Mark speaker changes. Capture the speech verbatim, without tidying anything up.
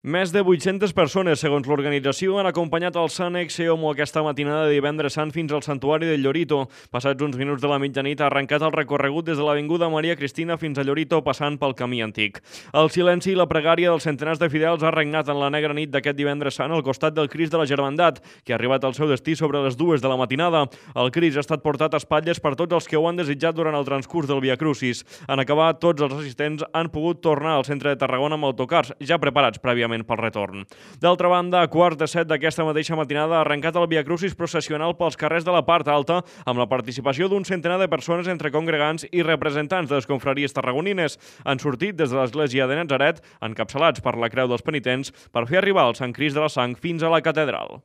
Speaker 1: Més de vuit-centes persones, segons l'organització, han acompanyat el Sant Exeomo aquesta matinada de divendres sant fins al Santuari del Llorito. Passats uns minuts de la mitjanit ha arrencat el recorregut des de l'Avinguda Maria Cristina fins a Llorito, passant pel Camí Antic. El silenci i la pregària dels centenars de fidels ha regnat en la negra nit d'aquest divendres sant al costat del Crist de la Germandat, que ha arribat al seu destí sobre les dues de la matinada. El Crist ha estat portat a espatlles per tots els que ho han desitjat durant el transcurs del Via Crucis. En acabar, tots els assistents han pogut tornar al centre de Tarragona amb autocars, ja preparats prèviament pel retorn. D'altra banda, a quarts de set d'aquesta mateixa matinada ha arrencat el Via Crucis processional pels carrers de la part alta amb la participació d'un centenar de persones entre congregants i representants de les confraries tarragonines. Han sortit des de l'església de Natzaret, encapçalats per la Creu dels Penitents, per fer arribar el Sant Crist de la Sang fins a la catedral.